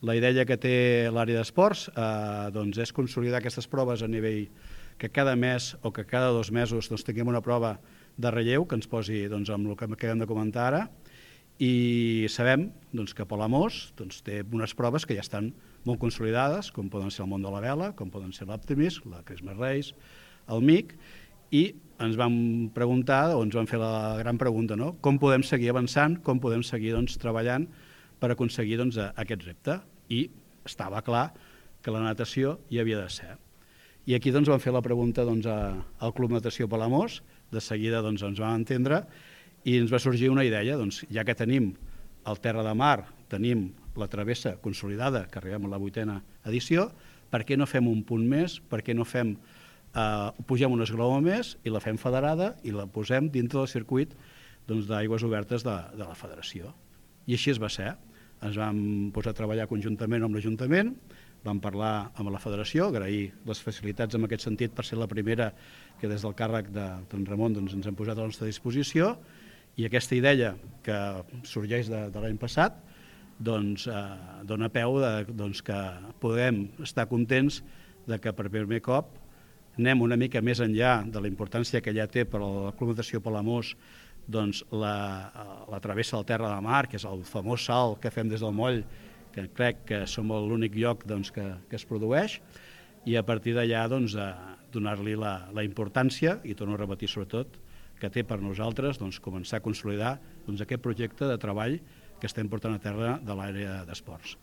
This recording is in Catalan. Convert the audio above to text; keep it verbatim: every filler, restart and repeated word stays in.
La idea que té l'àrea d'esports eh, doncs és consolidar aquestes proves a nivell que cada mes o que cada dos mesos doncs, tinguem una prova de relleu que ens posi doncs, amb el que acabem de comentar ara, i sabem doncs, que Palamós doncs, té unes proves que ja estan molt consolidades, com poden ser el món de la vela, com poden ser l'Optimist, la Christmas Race, el M I C, i ens vam preguntar, o ens vam fer la gran pregunta, no? Com podem seguir avançant, com podem seguir doncs, treballant per aconseguir doncs, aquest repte. I estava clar que la natació hi havia de ser. I aquí doncs, vam fer la pregunta doncs, al Club Natació Palamós, de seguida doncs, ens vam entendre, i ens va sorgir una idea, doncs, ja que tenim el Terra de Mar, tenim la travessa consolidada, que arribem a la vuitena edició, per què no fem un punt més, per què no fem, eh, pugem un esglaó més i la fem federada i la posem dintre del circuit doncs, d'aigües obertes de, de la federació. I així es va ser. Ens vam posar a treballar conjuntament amb l'Ajuntament, vam parlar amb la federació, agrair les facilitats en aquest sentit per ser la primera que des del càrrec de don Ramon doncs, ens hem posat a la nostra disposició, i aquesta idea que sorgeix de, de l'any passat doncs, eh, dona peu de, doncs, que podem estar contents de que per primer cop anem una mica més enllà de la importància que ja té per a la Club Natació Palamós doncs, la, la travessa del Terra de Mar, que és el famós salt que fem des del moll, que crec que som l'únic lloc doncs, que, que es produeix, i a partir d'allà doncs, donar-li la, la importància, i torno a repetir sobretot, que té per nosaltres doncs, començar a consolidar doncs, aquest projecte de treball que estem portant a terra de l'àrea d'esports.